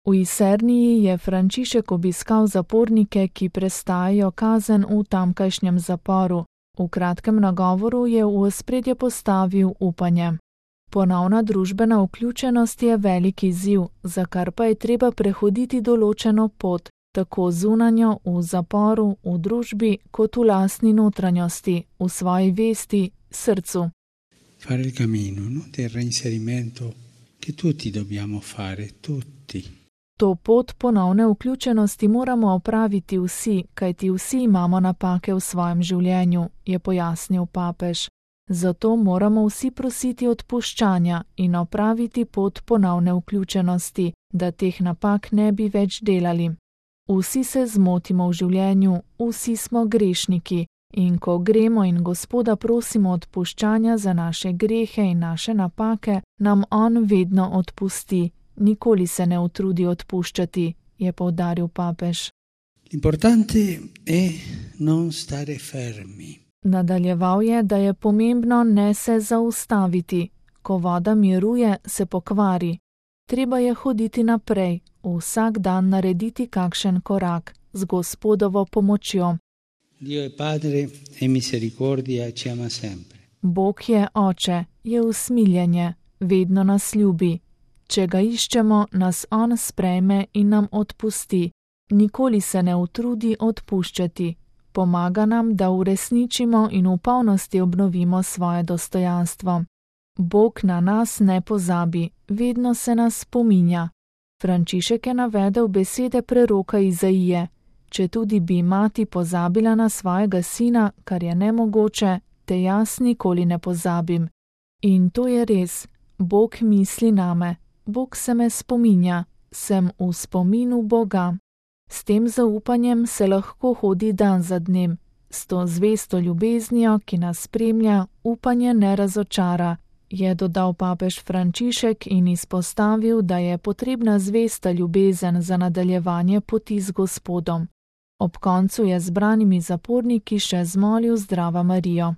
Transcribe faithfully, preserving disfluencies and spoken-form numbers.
V Iserniji je Frančišek obiskal zapornike, ki prestajajo kazen v tamkajšnjem zaporu. V kratkem nagovoru je v ospredje postavil upanje. Ponovna družbena vključenost je velik izziv, za kar pa je treba prehoditi določeno pot, tako zunanjo v zaporu, v družbi, kot v lastni notranjosti, v svoji vesti, srcu. Fare il cammino, no? Del reinserimento che tutti dobbiamo fare, tutti. To pot ponovne vključenosti moramo opraviti vsi, kajti vsi imamo napake v svojem življenju, je pojasnil papež. Zato moramo vsi prositi odpuščanja in opraviti pot ponovne vključenosti, da teh napak ne bi več delali. Vsi se zmotimo v življenju, vsi smo grešniki in ko gremo in Gospoda prosimo odpuščanja za naše grehe in naše napake, nam on vedno odpusti. Nikoli se ne utrudi odpuščati, je poudaril papež. L'importante è non stare fermi. Nadaljeval je, da je pomembno ne se zaustaviti. Ko voda miruje, se pokvari. Treba je hoditi naprej, vsak dan narediti kakšen korak z Gospodovo pomočjo. Dio è Padre e misericordia ci ama sempre. Bog je Oče, je usmiljenje, vedno nas ljubi. Če ga iščemo, nas on sprejme in nam odpusti. Nikoli se ne utrudi odpuščati. Pomaga nam, da uresničimo in v polnosti obnovimo svoje dostojanstvo. Bog na nas ne pozabi, vedno se nas spominja. Frančišek je navedel besede preroka Izaije. Če tudi bi mati pozabila na svojega sina, kar je nemogoče, te jaz nikoli ne pozabim. In to je res, Bog misli name, Bog se me spominja, sem v spominu Boga. S tem zaupanjem se lahko hodi dan za dnem. S to zvesto ljubeznijo, ki nas spremlja, upanje ne razočara, je dodal papež Frančišek in izpostavil, da je potrebna zvesta ljubezen za nadaljevanje poti z Gospodom. Ob koncu je zbranimi zaporniki še zmolil Zdrava Marijo.